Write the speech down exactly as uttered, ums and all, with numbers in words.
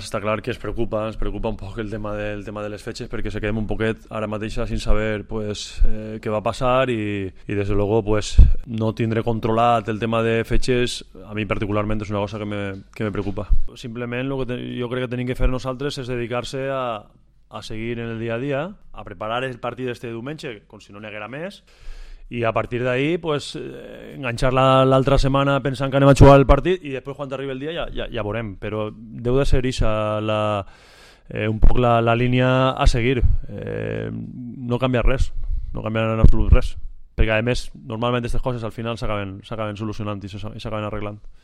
Està clar que es preocupa, ens preocupa un poc el tema, del tema de les fetges, perquè se quedem un poquet ara mateixa sin saber pues, eh, què va passar i, i des de luego pues, no tindré controlat el tema de fetges, a mi particularment és una cosa que me, que me preocupa. Simplement el que te, jo crec que tenim que fer nosaltres és dedicar-se a, a seguir en el dia a dia, a preparar el partit d'este diumenge, com si no n'hi haguera més, i a partir d'ahí pues, eh, enganxar l'altra setmana pensant que anem a jugar el partit i després quan arribi el dia ja, ja, ja veurem, però deu de ser ixa la, eh, un poc la, la línia a seguir, eh, no canviar res, no canviar en absolut res, perquè a més normalment aquestes coses al final s'acaben solucionant i s'acaben arreglant.